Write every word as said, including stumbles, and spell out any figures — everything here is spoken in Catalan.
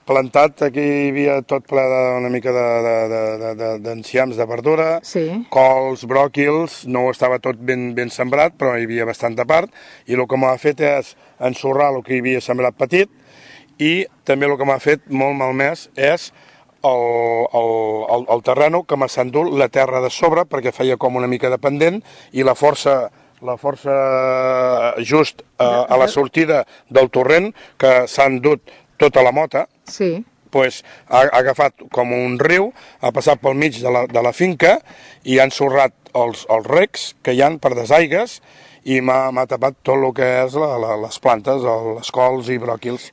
plantat, aquí hi havia tot ple d'una mica d'enciams de, de, de, de verdura, sí. cols, bròquils, no estava tot ben, ben sembrat, però hi havia bastanta part, i el que m'ha fet és ensorrar el que hi havia sembrat petit, i també el que m'ha fet molt malmès és el, el, el, el terreno que m'ha s'endut la terra de sobre, perquè feia com una mica de pendent, i la força la força just a, a la sortida del torrent, que s'ha endut tota la mota, sí. pues, ha, ha agafat com un riu, ha passat pel mig de la, de la finca i ha ensorrat els, els recs que hi han per desaigues i m'ha tapat tot el que és la, la, les plantes, les cols i bròquils.